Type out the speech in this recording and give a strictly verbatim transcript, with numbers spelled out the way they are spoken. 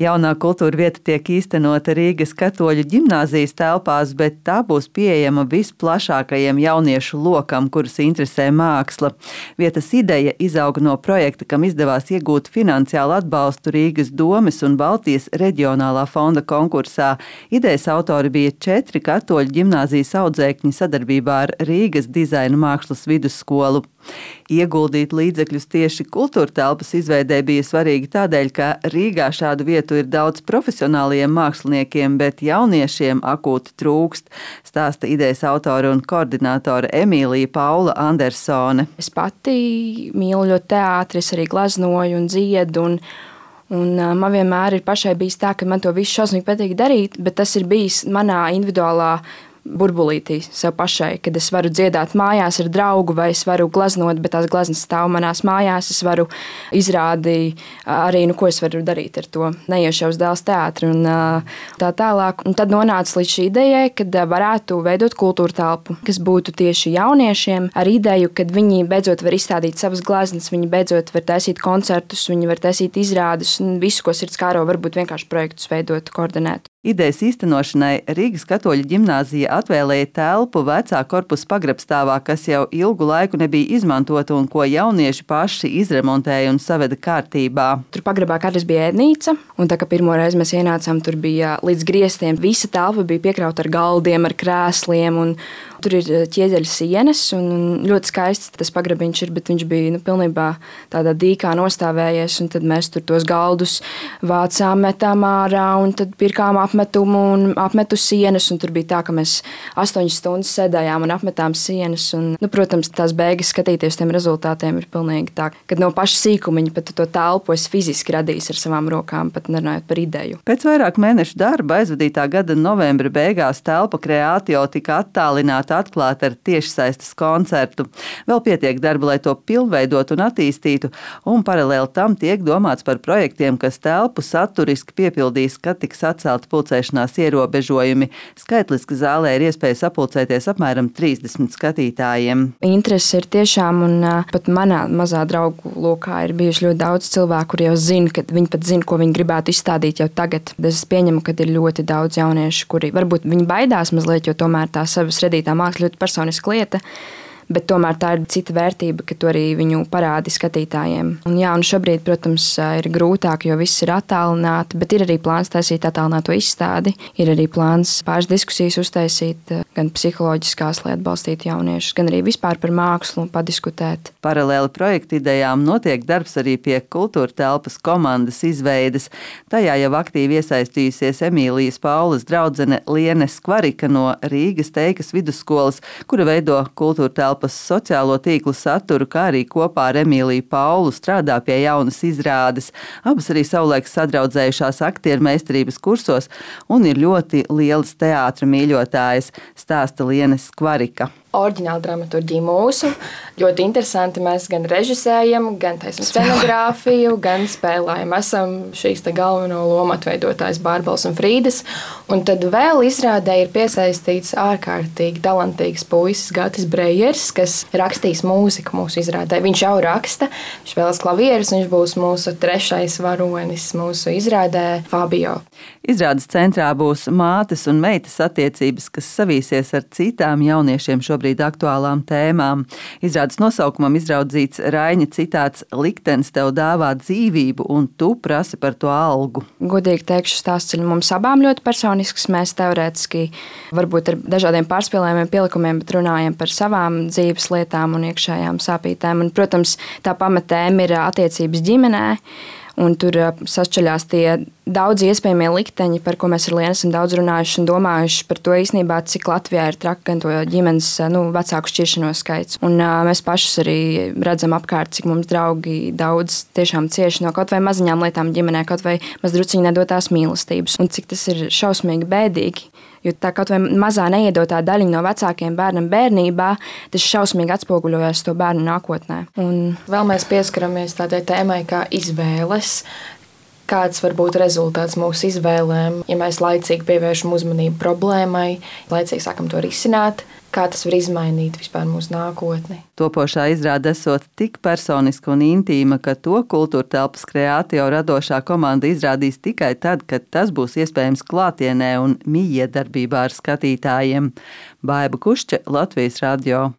Jaunā kultūra vieta tiek īstenota Rīgas Katoļu ģimnāzijas telpās, bet tā būs pieejama visplašākajiem jauniešu lokam, kurus interesē māksla. Vietas ideja izauga no projekta, kam izdevās iegūt finansiālu atbalstu Rīgas domes un Baltijas reģionālā fonda konkursā. Idejas autori bija četri Katoļu ģimnāzijas audzēkņi sadarbībā ar Rīgas dizaina mākslas vidusskolu. Ieguldīt līdzekļus tieši kultūra telpas izveidē bija svarīgi tādēļ, ka Rīgā šādu vietu ir daudz profesionāliem māksliniekiem, bet jauniešiem akūti trūkst, stāsta idejas autora un koordinātore Emīlija Paula Andersone. Es pati mīlu ļoti teātri, es arī gleznoju un dziedu, un, un man vienmēr ir pašai bijis tā, ka man to visu šausmīgi patīk darīt, bet tas ir bijis manā individuālā burbulītī sev pašai, kad es varu dziedāt mājās ar draugu, vai es varu gleznot, bet tās gleznas stāv manās mājās, es varu izrādīt arī, nu, ko es varu darīt ar to, neiešu uz dēls teātri un tā tālāk. Un tad nonāca līdz šī idejai, kad varētu veidot kultūra telpu, kas būtu tieši jauniešiem ar ideju, kad viņi beidzot var izstādīt savas gleznas, viņi beidzot var taisīt koncertus, viņi var taisīt izrādes un visu, ko sirds kāro, varbūt vienkārši projektus veidot, koordinēt. Idejas īstenošanai Rīgas Katoļu ģimnāzija atvēlēja telpu vecā korpusa pagrabstāvā, kas jau ilgu laiku nebija izmantota un ko jaunieši paši izremontēja un saveda kārtībā. Tur pagrabā kādreiz bija ēdnīca, un tā kā pirmo reizi mēs ienācām, tur bija līdz griestiem. Visa telpa bija piekrauta ar galdiem, ar krēsliem, un tur ir ķieģeļu sienas, un ļoti skaists tas pagrabiņš ir, bet viņš bija nu, pilnībā tādā dīkā nostāvējies, un tad mēs tur tos galdus vācām, metām ārā, un tad pirkām apmetumu un apmetu sienas, un tur bija tā, ka mēs astoņas stundas sēdējām un apmetām sienas, un, nu, protams, tās beigas skatīties tiem rezultātiem ir pilnīgi tā, kad no paša sīkumiņa pat to telpu es fiziski radījis ar savām rokām, pat nerunājot par ideju. Pēc vairāk mēnešu darba aizvadītā gada novembra beigās telpa Creatio tika attālināta atklāta ar tiešsaistes koncertu. Vēl pietiek darba, lai to pilnveidotu un attīstītu, un paralēli tam tiek domāts par projektiem, kas telpu saturiski piepildīs, kad tiks atcelti pulcēšanās ierobežojumi. Skaitliski zālē ir iespēja sapulcēties apmēram trīsdesmit skatītājiem. Interesi ir tiešām, un pat manā mazā draugu lokā ir bijuši ļoti daudz cilvēku, kuri jau zina, ka viņi pat zina, ko viņi gribētu izstādīt jau tagad. Es pieņemu, ka ir ļoti daudz jauniešu, kuri varbūt viņi baidās mazliet, jo tomēr tā savas redītā māksla ļoti personiska lieta, bet tomēr tā ir cita vērtība, ka to arī viņu parādi skatītājiem. Un jā, un šobrīd, protams, ir grūtāk, jo viss ir attālināti, bet ir arī plāns taisīt attālināto izstādi, ir arī plāns pāris diskusijas uztaisīt, gan psiholoģiskās, lai atbalstītu jauniešus, gan arī vispār par mākslu padiskutēt. Paralēli projekta idejām notiek darbs arī pie kultūra telpas komandas izveides. Tajā jau aktīvi iesaistījusies Emīlijas Paulas draudzene Liene Skvarika no Rīgas Teikas vidusskolas, kura veido kultūra telpas sociālo tīklu saturu, kā arī kopā ar Emīliju Paulu strādā pie jaunas izrādes. Abas arī savulaik sadraudzējušās aktieru meistarības kursos un ir ļoti lielas teātra mīļotājas, stāsta Liene Skvarika. Oriģināla dramaturģija mūsu. Ļoti interesanti. Mēs gan režisējam, gan taisam scenogrāfiju, gan spēlējam. Esam šīs te galveno lomu atveidotājs Bārbels un Frīdas. Un tad vēl izrādē ir piesaistīts ārkārtīgi talantīgs puisis Gatis Brejers, kas rakstīs mūziku mūsu izrādē. Viņš jau raksta, viņš spēlēs klavierus, viņš būs mūsu trešais varonis mūsu izrādē Fabio. Izrādes centrā būs mātes un meitas attiecības, kas savīsies ar citām jauniešiem šobrīd aktuālām tēmām. Izrādes nosaukumam izraudzīts Raiņa citāts "Liktenis tev dāvā dzīvību, un tu prasi par to algu". Godīgi teikšu, stāsts ir mums abām ļoti personisks. Mēs teorētiski varbūt ar dažādiem pārspēlējumiem, pielikumiem, bet runājam par savām dzīves lietām un iekšējām sāpītēm. Un, protams, tā pamatēma ir attiecības ģimenē. Un tur sašķeļās tie daudz iespējamie likteņi, par ko mēs ar Lienu esam daudz runājuši un domājuši par to īstenībā, cik Latvijā ir traki gan to ģimenes nu, vecāku šķiršanos skaits. Un uh, mēs pašus arī redzam apkārt, cik mums draugi daudz tiešām cieši no kaut vai maziņām lietām ģimenē, kaut vai mazdruciņi nedotās mīlestības. Un cik tas ir šausmīgi bēdīgi. Jo tā kaut vai mazā neiedotā daļiņa no vecākiem bērnam bērnībā, tas šausmīgi atspoguļojas to bērnu nākotnē. Un vēl mēs pieskaramies tādai tēmai kā izvēles. kāds var būt rezultāts mūsu izvēlēm, ja mēs laicīgi pievēršam uzmanību problēmai, laicīgi sākam to risināt. Kā tas var izmainīt vispār mūsu nākotni. Topošā izrāde esot tik personiska un intīma, ka to kultūra telpas Kreatio radošā komanda izrādīs tikai tad, kad tas būs iespējams klātienē un mijiedarbībā ar skatītājiem. Baiba Kušķe, Latvijas radio.